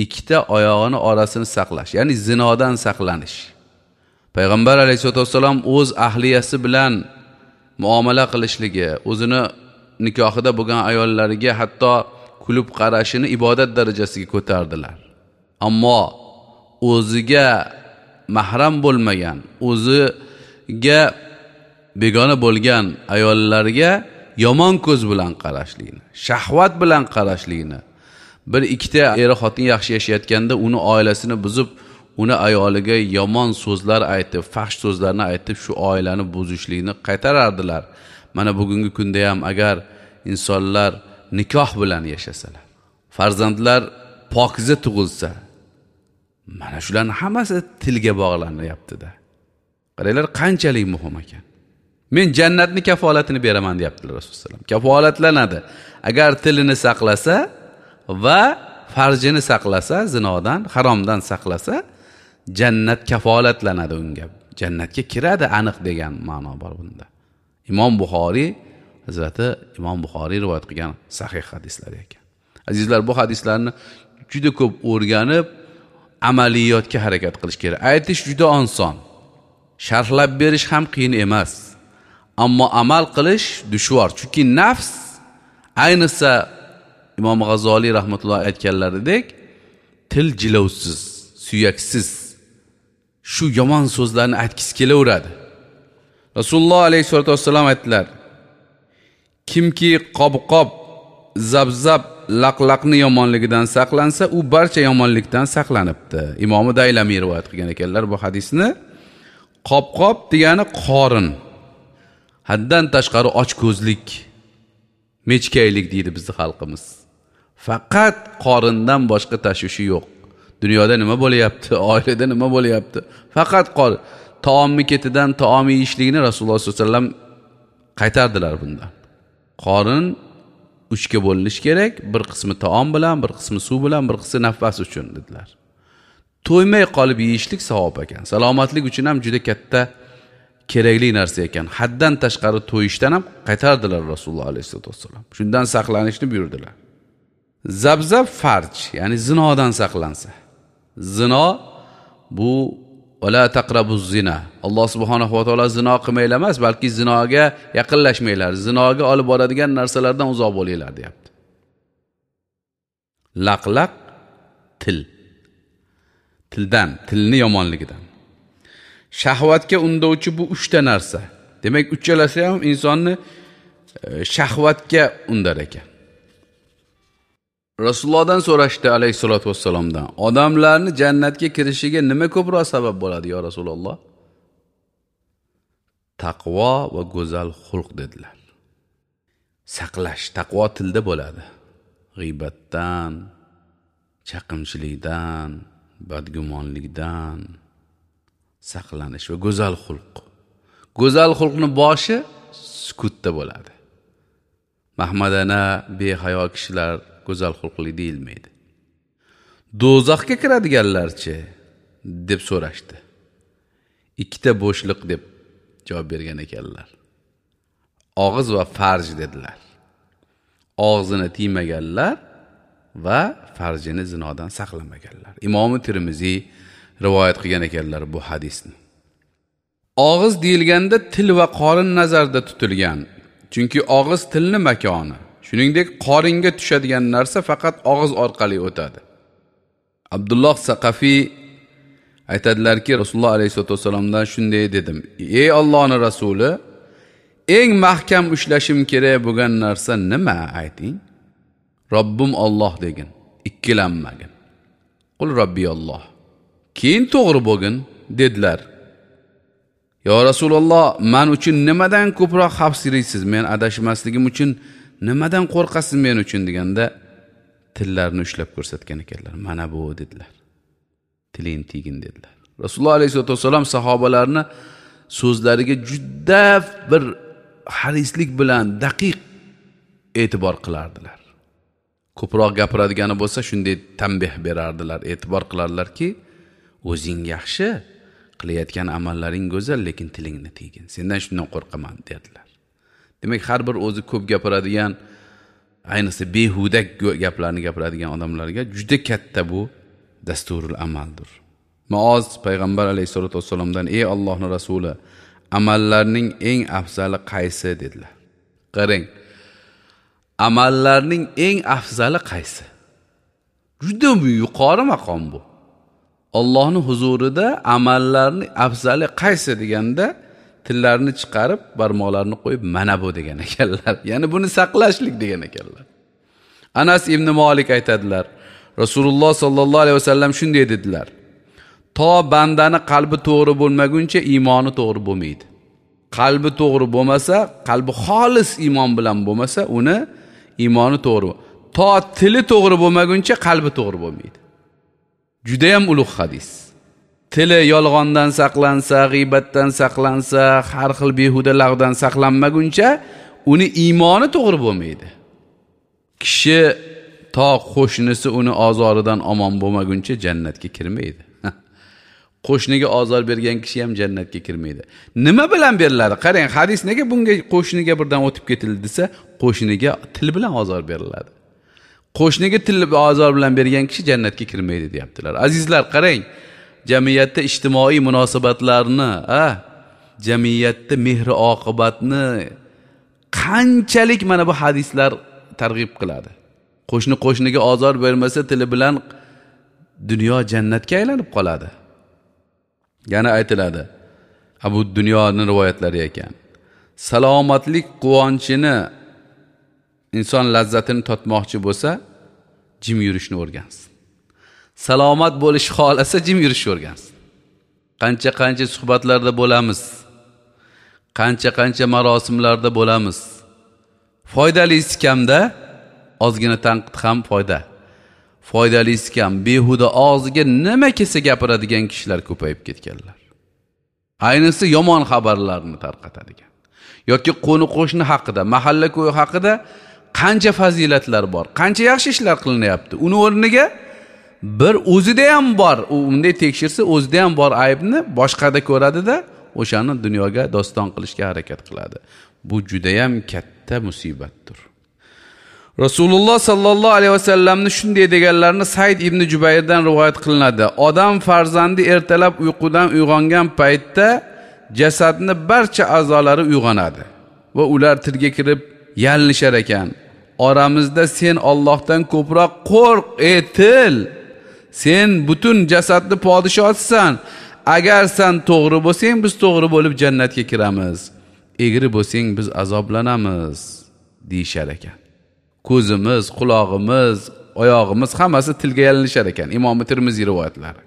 Ikkita oyog'ini orasini saqlash, ya'ni zinodan saqlanish. Payg'ambar alayhissalatu vassalom o'z ahliyasi bilan muomala qilishligi, o'zini nikohida bo'lgan ayollariga hatto kulib qarashini ibodat darajasiga ko'tardilar. Ammo o'ziga mahram bo'lmagan, o'ziga begona bo'lgan ayollarga yomon ko'z bilan qarashlikni, shahvat bilan qarashlikni, bir ikkita er xotin yaxshi yashayotganda uni oilasini buzib, uni ayoliga yomon so'zlar aytib, fahsh so'zlarni aytib, shu oilani buzishlikni qaytarardilar. Mana bugungi kunda ham agar insonlar nikoh bilan yashasalar, farzandlar pokiza tug'ilsa, mana shularning hammasi tilga bog'lanyapti-da. Qaranglar, qanchalik muhim ekan. Men jannatni kafolatini beraman deyaptilar Rasululloh sollallohu alayhi vasallam. Kafolatlanadi. Agar tilini saqlasa va farjini saqlasa, zinodan, haromdan saqlasa, jannat kafolatlanadi unga. Jannatga kiradi aniq degan ma'no bor bunda. Imom Buxoriy, Hazrati Imom Buxoriy rivoyat qilgan sahih hadislar ekan. Azizlar, bu hadislarni juda ko'p o'rganib, amaliyotga harakat qilish kerak. Aytish juda oson. Sharhlab berish ham qiyin emas. Ammo amal qilish dushvor. Chunki nafs, ayniqsa Imom G'azoliy rahmatullohi aytganlaridek, til jilovsiz, suyaksiz shu yomon so'zlarni aytgisi kelaveradi. Rasululloh alayhisolatu vassalam aytdilar: kimki qobqob, zabzab, laqlaqni yomonligidan saqlansa, u barcha yomonlikdan saqlanibdi. Imom Daylamiy rivoyat qilgan ekanlar bu hadisni. Qobqob degani qorin, haddan tashqari ochko'zlik, mechkaylik deydi bizning xalqimiz. Faqat qorindan boshqa tashvishi yo'q. Dunyoda nima bo'lyapti, oilada nima bo'lyapti? Faqat qorin. Taomni ketidan taom yeyishlikni Rasululloh sollallohu alayhi vasallam qaytardilar bundan. Qorin uchga bo'linishi kerak, bir qismi taom bilan, bir qismi suv bilan, bir qismi nafas uchun dedilar. To'ymay qolib yeyishlik savob ekan. Salomatlik uchun ham juda katta kerakli narsa ekan. Haddan tashqari to'yishdan ham qaytardilar Rasululloh alayhisolatu vassalam. Shundan saqlanishni buyurdilar. Zabzab farj, ya'ni zinodan saqlansa. Zino bu wala taqrabu zina. Alloh subhanahu va taolo zino qilmanglar emas, balki zinoga yaqinlashmanglar, zinoga olib boradigan narsalardan uzoq bo'linglar deyapti. Laqlaq til. Tildan, tilni yomonligidan. Shahvatga undovchi bu uchta narsa. Demak, uchalasi ham insonni shahvatga undar ekan. Rasulullohdan so'rashdi alayhisolatu vassalomdan, odamlarni jannatga kirishiga nima ko'proq sabab bo'ladi yo Rasululloh? Taqvo va go'zal xulq dedilar. Saqlash, taqvo tilda bo'ladi. G'iybatdan, chaqimchilikdan, badgumonlikdan saqlanish va go'zal xulq. Go'zal xulqni boshi sukutda bo'ladi. Mahmadana, behayo kishilar go'zal xulqli deyilmaydi. Do'zaxga kiradiganlarchi deb so'rashdi. Ikkita bo'shliq deb javob bergan ekanlar. Og'iz va farj dedilar. Og'zini tiymaganlar va farjini zinodan saqlamaganlar. Imom Termiziy rivoyat qilgan ekanlar bu hadisni. Og'iz deyilganda til va qorin nazarda tutilgan. Chunki og'iz tilni makoni. Shuningdek, qoringa tushadigan narsa faqat og'iz orqali o'tadi. Abdulloh Saqafiy aytadilarki, Rasululloh alayhisolatu vassalomdan shunday dedim: "Ey Allohning rasuli, eng mahkam ushlashim kerak bo'lgan narsa nima, ayting?" Robbim Alloh degin, ikkilanmagin. Qul Robbi Alloh. Keyin to'g'ri bo'lgin dedilar. Yo Rasululloh, men uchun nimadan ko'proq xavfsiraysiz? Men adashmasligim uchun nimadan qo'rqasiz men uchun deganda tillarini ushlab ko'rsatgan ekanlar. Mana bu dedilar. Tiling tegin dedilar. Rasululloh alayhisolatu vassalam sahobalarni so'zlariga juda bir harislik bilan daqiq e'tibor qilardilar. Ko'proq gapiradigani bo'lsa shunday tanbeh berardilar, e'tibor qilardilarki, o'zing yaxshi, qilayotgan amallaring go'zal, lekin tilingni tegin. Sendan shundan qo'rqaman dedilar. Demak, har bir o'zi ko'p gapiradigan, ayniqsa behuda gaplarni gapiradigan odamlarga juda katta bu dasturul amaldir. Muoz payg'ambar alayhisolatu vassalomdan: "Ey Allohning rasuli, amallarning eng afzali qaysi?" dedilar. Qarang, Amallarning eng afzali qaysi? Juda yuqori maqom bu. Allohning huzurida amallarning afzali qaysi deganda tillarini chiqarib, barmoqlarini qo'yib mana bu degan ekanlar. Ya'ni buni saqlashlik degan ekanlar. Anas ibn Malik aytadilar, Rasululloh sallallohu alayhi vasallam shunday dedilar: to bandani qalbi to'g'ri bo'lmaguncha iymoni to'g'ri bo'lmaydi. Qalbi to'g'ri bo'lmasa, qalbi xolis iymon bilan bo'lmasa, uni iymoni to'g'ri. To tili to'g'ri bo'lmaguncha qalbi to'g'ri bo'lmaydi. Juda ham ulug' hadis. Tili yolg'ondan saqlansa, g'iybatdan saqlansa, har xil behuda lag'dan saqlanmaguncha uni iymoni to'g'ri bo'lmaydi. Kishi to qo'shnisi uni ozoridan omon bo'lmaguncha jannatga kirmaydi. Qo'shniga ozor bergan kishi ham jannatga kirmaydi. Nima bilan beriladi? Qarang, hadis nega bunga qo'shniga birdan o'tib ketildi desa, qo'shniga til bilan ozor beriladi. Qo'shniga til ozor bilan bergan kishi jannatga kirmaydi deyaptilar. Azizlar, qarang, jamiyatda ijtimoiy munosabatlarni, jamiyatda mehr oqibatni qanchalik mana bu hadislar targ'ib qiladi. Qo'shni qo'shniga ozor bermasa, tili bilan dunyo jannatga aylanib qoladi. Yana aytiladi, Abu Dunyoning rivoyatlari ekan. Salomatlik quvonchini, inson lazzatini totmoqchi bo'lsa, jim yurishni o'rgansin. Salomat bo'lish xolasa jim yurishni o'rgansin. Qancha-qancha suhbatlarda bo'lamiz, qancha-qancha marosimlarda bo'lamiz. Foydalisi kamda, ozgina tanqid ham foyda. Foydalisi kam, behuda og'ziga nima kelsa gapiradigan kishilar ko'payib ketganlar. Ayniqsa yomon xabarlarni tarqatadigan yoki qo'ni-qo'shni haqida, mahalla ko'y haqida qancha fazilatlar bor, qancha yaxshi ishlar qilinyapti. Uni o'rniga bir o'zida ham bor, u unday tekshirsa o'zida ham bor aybni boshqada ko'radida, o'shani dunyoga doston qilishga harakat qiladi. Bu juda ham katta musibatdir. Rasululloh sallallohu alayhi vasallamni shunday deganlarini Said ibn Jubayrdan rivoyat qilinadi. Odam farzandi ertalab uyqudan uyg'ongan paytda jasadni barcha a'zolari uyg'onadi va ular tilga kirib yalinishar ekan. Oramizda sen Allohdan ko'proq qo'rq, ey til. Sen butun jasadni podshosisan. Agar sen to'g'ri bo'lsang, biz to'g'ri bo'lib jannatga kiramiz. Egri bo'lsang, biz azoblanamiz, deyishar ekan. Ko'zimiz, qulog'imiz, oyog'imiz hammasi tilga yalinishar ekan. Imom Termiziy rivoyatlari.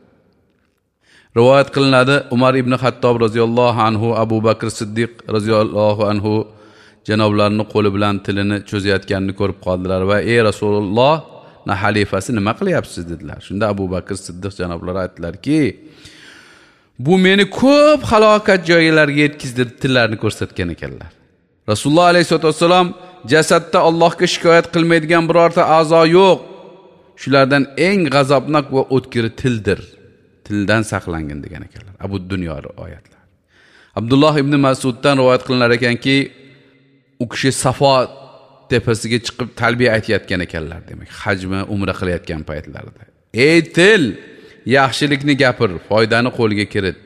Rivoyat qilinadi, Umar ibn Xattob roziyallohu anhu, Abu Bakr Siddiq roziyallohu anhu janoblarining qo'li bilan tilini cho'zayotganini ko'rib qoldilar va ey Rasululloh, na xalifasi nima qilyapsiz dedilar. Shunda Abu Bakr Siddiq janoblari aytdilarki, bu meni ko'p halokat joylariga yetkazdi, tillarini ko'rsatgan ekanlar. Rasululloh alayhisolatu vassalom jasadda Allohga shikoyat qilmaydigan birorta a'zo yo'q. Shulardan eng g'azabnok va o'tkiri tildir. Tildan saqlangin degan ekanlar. Abu Dunyo oyatlar. Abdulloh ibn Mas'uddan rivoyat qilinar ekanki, u kishi Safo tepasiga chiqib talbiya aytayotgan ekanlar, demak, hajmi umra qilayotgan paytlarida. Ey til, yaxshilikni gapir, foydani qo'lga kirit.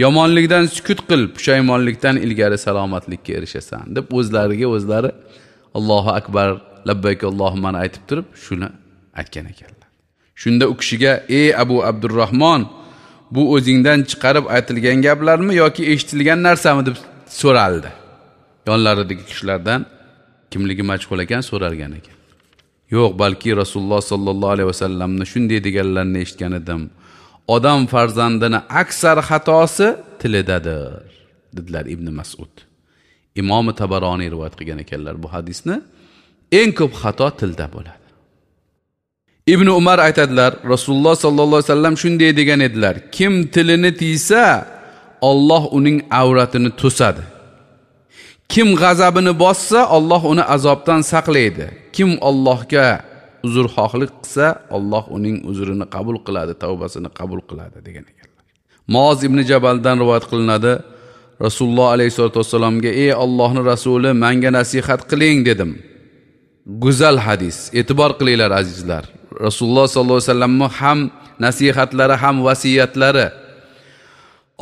Yomonlikdan sukut qil, pushaymonlikdan ilgari salomatlikka erishasan deb o'zlariga o'zlari Allohu akbar, labbayk Allohumma aytib turib shuni aytgan ekanlar. Shunda u kishiga ey Abu Abdurrahmon, bu o'zingdan chiqarib aytilgan gaplarmi yoki eshitilgan narsami deb so'raldi. Yonlaridagi kishilardan kimligi majhul ekan so'ralgan ekan. Yo'q, balki Rasululloh sallallohu alayhi vasallamni shunday deganlarini eshitgan edim. Odam farzandini aksar xatosi tilidadir, dedilar Ibn Mas'ud. Imom Tabaroniy rivoyat qilgan ekanlar bu hadisni. Eng ko'p xato tilda bo'ladi. Ibn Umar aytadilar, Rasululloh sallallohu alayhi vasallam shunday degan edilar: kim tilini tiysa, Alloh uning avratini to'sadi. Kim g'azabini bossa, Alloh uni azobdan saqlaydi. Kim Allohga uzrxohlik qilsa, Alloh uning uzrini qabul qiladi, tavbasini qabul qiladi degan ekanlar. Muoz ibn Jabaldan rivoyat qilinadi. Rasululloh alayhisolatu vassalomga: "Ey Allohning rasuli, menga nasihat qiling" dedim. Go'zal hadis. E'tibor qilinglar azizlar. Rasululloh sollallohu alayhi vasallamning ham nasihatlari, ham vasiyatlari.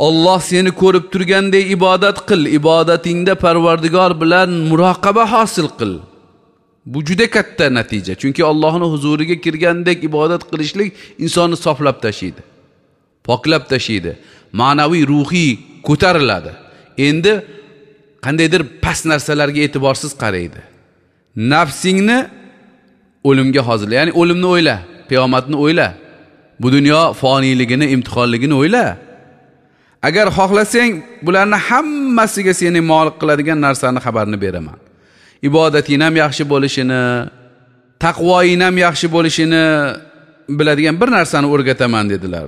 Alloh seni ko'rib turganday ibodat qil, ibodatingda Parvardigor bilan muroqaba hosil qil. Bu juda katta natija. Chunki Allohning huzuriga kirgandek ibodat qilishlik insonni soflab tashiydi, poklab tashiydi, ma'naviy, ruhiy ko'tariladi. Endi qandaydir past narsalarga e'tiborsiz qaraydi. Nafsingni o'limga hozirla, ya'ni o'limni o'yla, qiyomatni o'yla. Bu dunyo foniyligini, imtihonligini o'yla. Agar xohlasang, bularni hammasiga seni molik qiladigan narsani xabarini beraman. Ibodating ham yaxshi bo'lishini, taqvoing ham yaxshi bo'lishini biladigan bir narsani o'rgataman dedilar.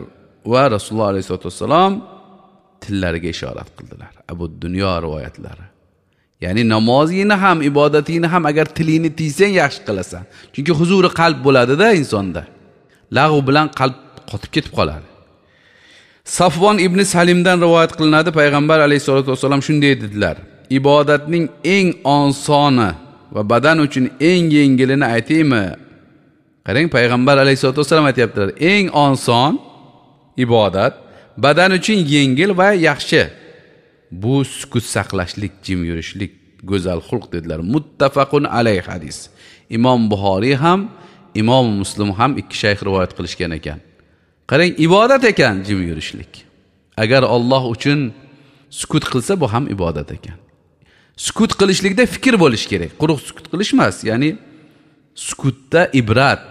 Va Rasululloh alayhisolatu vassalom tillariga ishorat qildilar. Abu Dunyo rivoyatlari. Ya'ni namozingni ham, ibodatingni ham agar tilingni tiysang yaxshi qilasan. Chunki huzuri qalb bo'ladida insonda. Lag'v bilan qalb qotib ketib qoladi. Safvon ibn Salimdan rivoyat qilinadi, payg'ambar alayhisolatu vassalom shunday dedilar: ibodatning eng osoni va badan uchun eng yengilini aytaymi? Qarang, payg'ambar alayhisolatu vassalom aytayaptilar, eng oson ibodat badan uchun yengil va yaxshi. Bu sukut saqlashlik, jim yurishlik, go'zal xulq dedilar. Muttafaqun alayh hadis. Imom Buxoriy ham, Imom Muslim ham ikki shayx rivoyat qilishgan ekan. Qarang, ibodat ekan jim yurishlik. Agar Alloh uchun sukut qilsa, bu ham ibodat ekan. Sukut qilishlikda fikr bo'lish kerak. Quruq sukut qilish emas, ya'ni sukutda ibrat,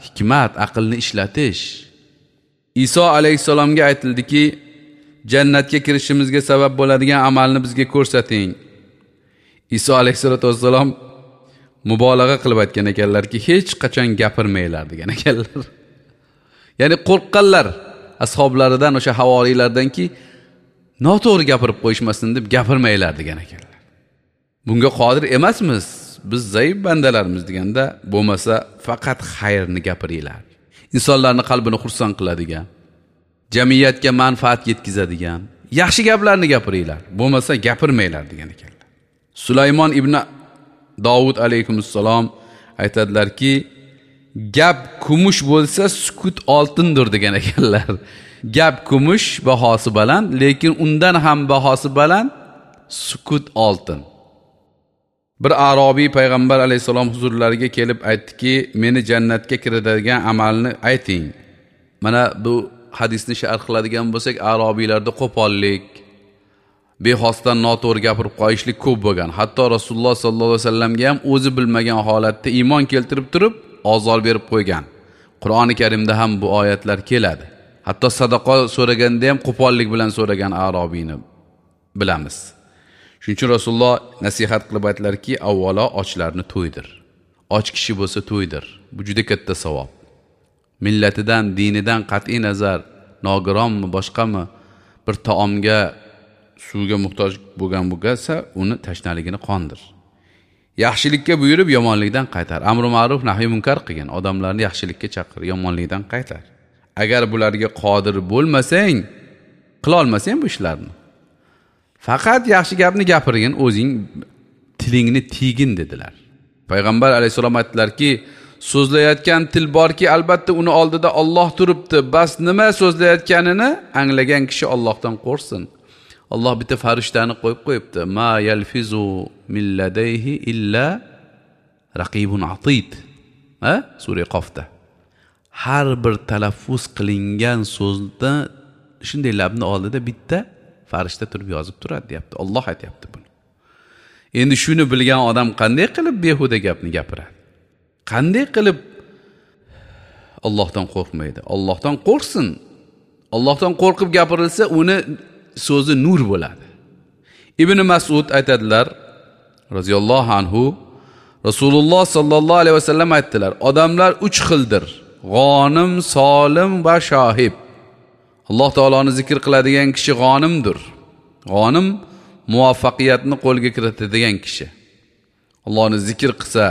hikmat, aqlni ishlatish. Iso alayhissalomga aytildiki, jannatga kirishimizga sabab bo'ladigan amalni bizga ko'rsating. Iso alayhissalatu vassalom mubolag'a qilib aytgan ekanlarki, hech qachon gapirmanglar degan ekanlar. Ya'ni qo'rqqanlar ashablaridan, o'sha havoriylardanki, noto'g'ri gapirib qo'yishmasin deb gapirmanglar degan ekanlar. Bunga qodir emasmiz, biz zaif bandalarmiz deganda, bo'lmasa faqat xayrni gapiringlar. Insonlarning qalbini xursand qiladigan, jamiyatga manfaat yetkazadigan yaxshi gaplarni gapiringlar, bo'lmasa gapirmanglar degan ekanlar. Sulaymon ibn Davud alayhissalom aytadilarki, gap kumush bo'lsa sukut oltindir degan ekanlar. Gap kumush, bahosi baland, lekin undan ham bahosi baland sukut oltin. Bir arobiy payg'ambar alayhissalom huzurlariga kelib aytdiki, meni jannatga kiritadigan amalni ayting. Mana bu hadisni sharh qiladigan bo'lsak, arobiylarda qo'pollik, bexosdan noto'g'ri gapirib qo'yishlik ko'p bo'lgan. Hatto Rasululloh sallallohu alayhi vasallamga ham o'zi bilmagan holatda iymon keltirib turib ozor berib qo'ygan. Qur'oni Karimda ham bu oyatlar keladi. Hatto sadaqa so'raganda ham qo'pollik bilan so'ragan arobiyni bilamiz. Shuning uchun Rasululloh nasihat qilib aytdilarki, avvalo ochlarni to'ydir. Och kishi bo'lsa to'ydir. Bu juda katta savob. Millatidan, dinidan qat'iy nazar, nogironmi, boshqami, bir taomga, suvga muhtoj bo'lgan bo'lsa, uni tashnaligini qondir. Yaxshilikka buyurib, yomonlikdan qaytar. Amri ma'ruf, nahiy munkar qilgin. Odamlarni yaxshilikka chaqir, yomonlikdan qaytar. Agar bularga qodir bo'lmasang, qila olmasang bu ishlarni, faqat yaxshi gapni gapirgin, o'zing tilingni tiygin dedilar. Payg'ambar alayhissalom aytdilarki, so'zlayotgan til borki, albatta uni oldida Alloh turibdi. Bas nima so'zlayotganini anglagan kishi Allohdan qo'rqsin. Alloh bitta farishtani qo'yib qo'yibdi. Ma yalfizu min ladayhi illa raqibun atid. Ha? Sura Qofda. Har bir talaffuz qilingan so'zda shunday labni oldida bitta farishta turib yozib turadi deyapti. Alloh aytayapti buni. Endi shuni bilgan odam qanday qilib behuda gapni gapiradi? Qanday qilib Allohdan qo'rqmaydi? Allohdan qo'rqsin. Allohdan qo'rqib gapirilsa, uni so'zi nur bo'ladi. Ibn Mas'ud aytadilar radhiyallohu anhu, Rasululloh sallallohu alayhi vasallam aytdilar: odamlar uch xildir. G'onim, solim va shohib. Alloh taoloni zikr qiladigan kishi g'onimdir. G'onim muvaffaqiyatni qo'lga kiritadigan kishi. Allohni zikr qilsa,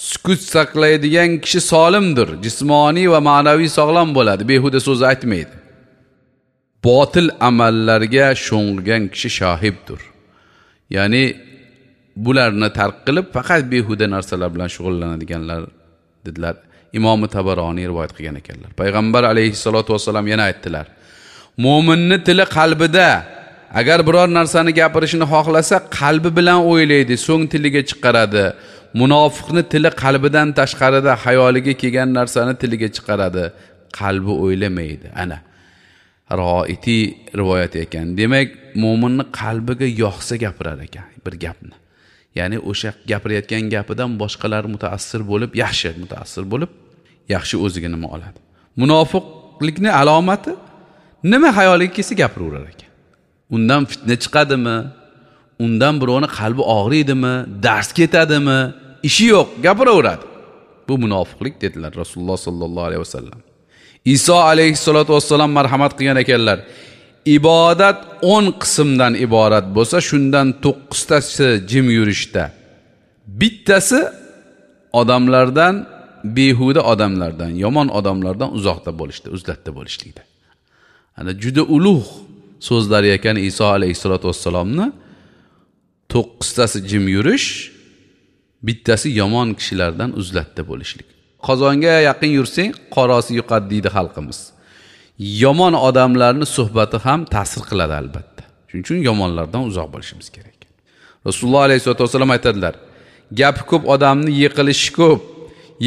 sukut saqlaydigan kishi solimdir. Jismoniy va ma'naviy sog'lom bo'ladi, behuda so'z aytmaydi. Botil amallarga sho'ng'igan kishi shohibdir. Ya'ni bularni tark qilib faqat behuda narsalar bilan shug'ullanadiganlar dedilar. Imom Tabaroniy rivoyat qilgan ekanlar. Payg'ambar alayhissalatu vassalam yana aytdilar: mo'minning tili qalbida. Agar biror narsani gapirishini xohlasa, qalbi bilan o'ylaydi, so'ng tiliga chiqaradi. Munofiqni tili qalbidan tashqarida, xayoliga kelgan narsani tiliga chiqaradi, qalbi o'ylamaydi. Ana Roiti rivoyat ekan. Demak, mo'minning qalbiga yoqsa gapirar ekan bir gapni. Ya'ni o'sha gapirayotgan gapidan boshqalar mutaassir bo'lib, yaxshi mutaassir bo'lib, yaxshi o'ziga nima oladi. Munofiqlikni alomati nima xayoliga kelsa gapiraverar ekan. Undan fitna chiqadimi? Undan birovni qalbi og'riydimi? Dars ketadimi? Ishi yo'q, gapiraveradi. Bu munofiqlik dedilar Rasululloh sallallohu alayhi vasallam. Iso alayhissalatu vassalam marhamat qilgan ekanlar. Ibodat 10 qismdan iborat bo'lsa, shundan 9 tasi jim yurishda. Bittasi odamlardan, behuda odamlardan, yomon odamlardan uzoqda bo'lishda, uzlatda bo'lishlikda. Ana juda ulug' so'zlari ekan Iso alayhissalatu vassalomni. 9 tasi jim yurish, bittasi yomon kishilardan uzlatda bo'lishlik. Qozonga yaqin yursang, qorosi yuqadi deydi xalqimiz. Yomon odamlarning suhbati ham ta'sir qiladi albatta. Shuning uchun yomonlardan uzoq bo'lishimiz kerak. Rasululloh alayhisolatu vasallam aytadilar: gapi ko'p odamni yiqilishi ko'p,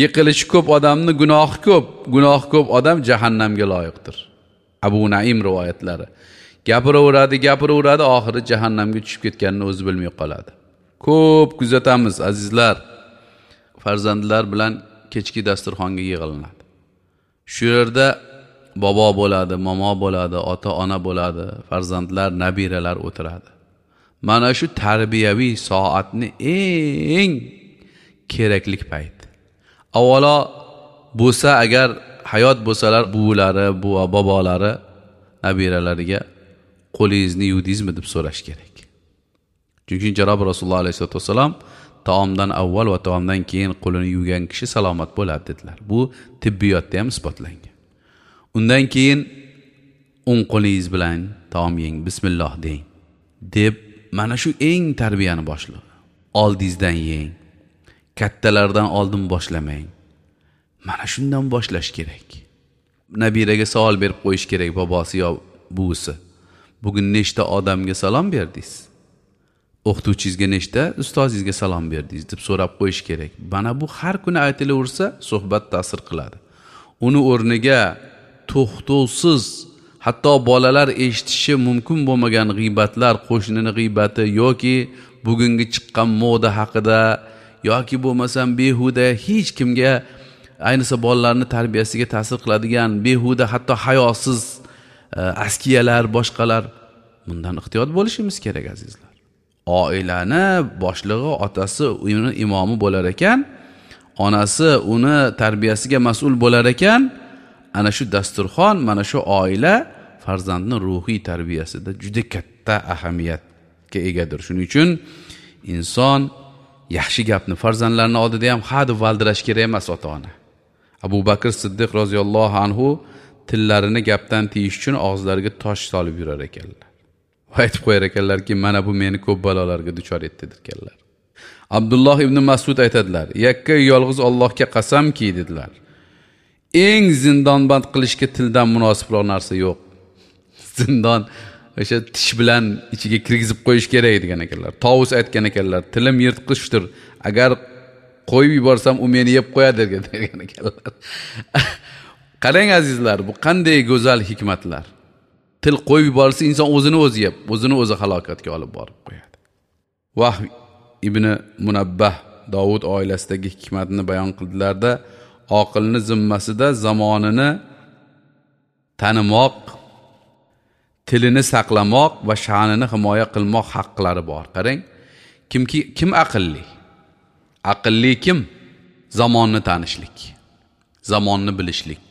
yiqilishi ko'p odamni gunohi ko'p, gunohi ko'p odam jahannamga loyiqdir. Abu Naim rivoyatlari. Gapiraveradi, gapiraveradi, oxiri jahannamga tushib ketganini o'zi bilmay qoladi. Ko'p kuzatamiz azizlar. Farzandlar bilan kechki dasturxonga yig'ilinadi. Shu yerda bobo bo'ladi, momo bo'ladi, ota-ona bo'ladi, farzandlar, nabiralar o'tiradi. Mana shu tarbiyaviy soatni eng kerakli payt. Avvalo bo'lsa, agar hayot bo'lsalar, buvilari, buva bobolari nabiralariga qo'lingizni yuvdingizmi deb so'rash kerak. Chunki janob Rasululloh alayhisolatu vasallam taomdan avval va taomdan keyin qo'lini yuvgan kishi salomat bo'ladi dedilar. Bu tibbiyotda ham isbotlangan. Undan keyin o'ng qo'lingiz bilan taom yeng, bismillah deng deb mana shu eng tarbiyani boshlig'i. Oldingizdan yeng, kattalardan oldin boshlamang. Mana shundan boshlash kerak. Nabiraga savol berib qo'yish kerak, bobosi yo buvisi. Bugun nechta odamga salom berdingiz? O'qituvchingizga nechta, ustozingizga salom berdingiz deb so'rab qo'yish kerak. Mana bu har kuni aytilaversa, suhbat ta'sir qiladi. Uni o'rniga to'xtovsiz, hatto bolalar eshitishi mumkin bo'lmagan g'iybatlar, qo'shnining g'iybati yoki bugungi chiqqan moda haqida yoki bo'lmasam behuda hech kimga, ayniqsa bolalarning tarbiyasiga ta'sir qiladigan behuda, hatto hayosiz askiyalar, boshqalar, bundan ehtiyot bo'lishimiz kerak azizlar. Oilani boshlig'i otasi uni imomi bo'lar ekan, onasi uni tarbiyasiga mas'ul bo'lar ekan, ana shu dasturxon, mana shu oila farzandning ruhiy tarbiyasida juda katta ahamiyatga egadir. Shuning uchun inson yaxshi gapni farzandlarning oldida ham ha deb valdirash kerak emas ota-ona. Abu Bakr Siddiq roziyallohu anhu tillarini gapdan tiyish uchun og'izlariga tosh solib yurar ekanlar. Va aytib qo'yar ekanlarki, mana bu meni ko'p balolarga duchor etdi deganlar. Abdulloh ibn Mas'ud aytadilar: yakka yolg'iz Allohga qasamki dedilar. Eng zindonband qilishga tildan munosibroq narsa yo'q. Zindon o'sha tish bilan ichiga kirgizib qo'yish kerak degan ekanlar. Tovus aytgan ekanlar, tilim yirtqichdir. Agar qo'yib yuborsam u meni yeb qo'yadi degan ekanlar. Qarang azizlar, bu qanday go'zal hikmatlar. Til qo'yib yuborilsa inson o'zini o'zi yeb, o'zini o'zi halokatga olib borib qo'yadi. Vahb ibn Munabbah Davud oilasidagi hikmatni bayon qildilarda, oqilni zimmasida zamonini tanimoq, tilini saqlamoq va sha'nini himoya qilmoq haqqlari bor. Qarang, kimki kim aqlli? Aqlli kim? Zamonni tanishlik, zamonni bilishlik.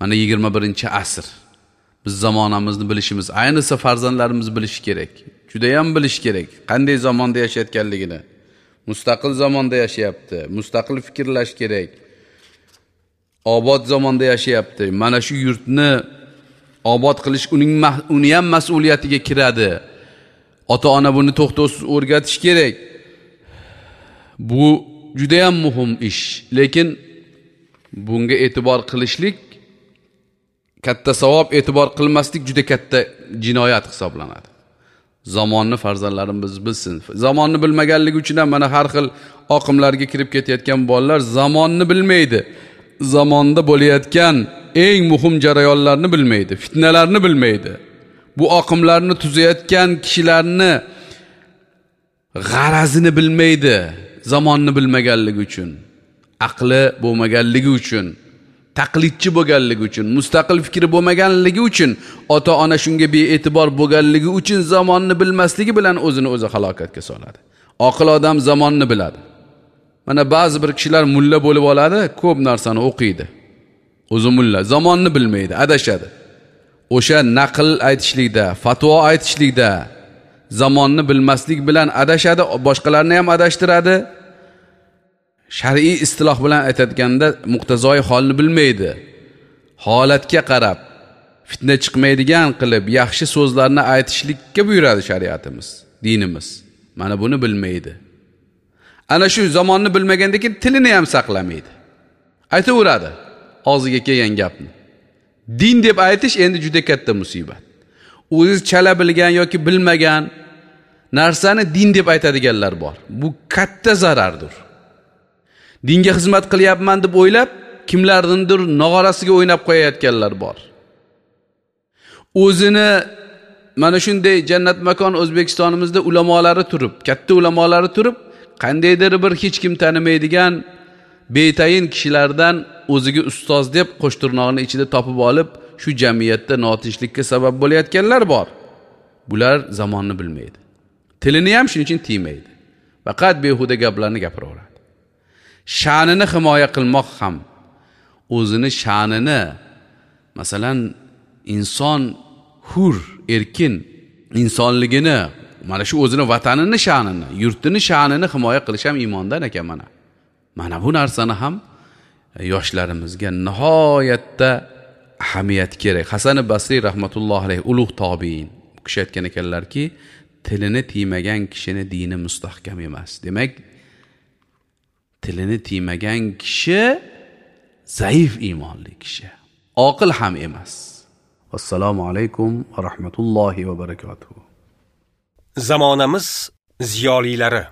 Mana 21-asr. Biz zamonamizni bilishimiz, ayniqsa farzandlarimiz bilishi kerak. Juda ham bilish kerak, qanday zamonda yashayotganligini. Mustaqil zamonda yashayapti, mustaqil fikrlash kerak. Obod zamonda yashayapti. Mana shu yurtni obod qilish uni ham mas'uliyatiga kiradi. Ota-ona buni to'xtovsiz o'rgatish kerak. Bu juda ham muhim ish, lekin bunga e'tibor qilishlik katta savob, e'tibor qilmaslik juda katta jinoyat hisoblanadi. Zamonni farzandlarimiz bilsin. Zamonni bilmaganligi uchun ham mana har xil oqimlarga kirib ketayotgan bolalar zamonni bilmaydi. Zamonda bo'layotgan eng muhim jarayonlarni bilmaydi, fitnalarni bilmaydi. Bu oqimlarni tuzayotgan kishilarni g'arazini bilmaydi, zamonni bilmaganligi uchun, aqli bo'lmaganligi uchun, taqlidchi bo'lganligi uchun, mustaqil fikri bo'lmaganligi uchun, ota-ona shunga bee'tibor bo'lganligi uchun zamonni bilmasligi bilan o'zini o'zi halokatga soladi. Oqil odam zamonni biladi. Mana ba'zi bir kishilar mulla bo'lib oladi, ko'p narsani o'qiydi. O'zi mulla, zamonni bilmaydi, adashadi. O'sha naql aytishlikda, fatvo aytishlikda zamonni bilmaslik bilan adashadi, boshqalarni ham adashtiradi. Shar'iy istiloh bilan aytadiganda muqtazoi holni bilmaydi. Holatga qarab fitna chiqmaydigan qilib yaxshi so'zlarni aytishlikka buyuradi shariatimiz, dinimiz. Mana buni bilmaydi. Ana shu zamonni bilmagandan keyin tilini ham saqlamaydi. Aytaveradi og'ziga kelgan gapni. Din deb aytish endi juda katta musibat. O'zi chala bilgan yoki bilmagan narsani din deb aytadiganlar bor. Bu katta zarardir. Dinga xizmat qilyapman deb o'ylab, kimlarnindir nog'orasiga o'ynab qo'yayotganlar bor. O'zini mana shunday jannat makon O'zbekistonimizda ulamolari turib, katta ulamolari turib, qandaydir bir hech kim tanimaydigan betayin kishilardan o'ziga ustoz deb qo'shtirnog'ini ichida topib olib, shu jamiyatda notinchlikka sabab bo'layotganlar bor. Bular zamonni bilmaydi. Tilini ham shuning uchun tiymaydi. Faqat behuda gaplarni gapiraveradi. Sha'nini himoya qilmoq ham o'zini sha'nini, masalan, inson hur, erkin insonligini, mana shu o'zini vatanini sha'nini, yurtini sha'nini himoya qilish ham iymondan ekan mana. Mana bu narsani ham yoshlarimizga nihoyatda ahamiyat kerak. Hasan Basriy rahmatullohi alayhi ulug' tobiin, u kishi aytgan ekanlarki, tilini tiymagan kishini dini mustahkam emas. Demak, tilini tiymagan kishi zaif iymonli kishi, oqil ham emas. Assalomu alaykum va rahmatullohi va barakatuh. Zamonamiz ziyolilari.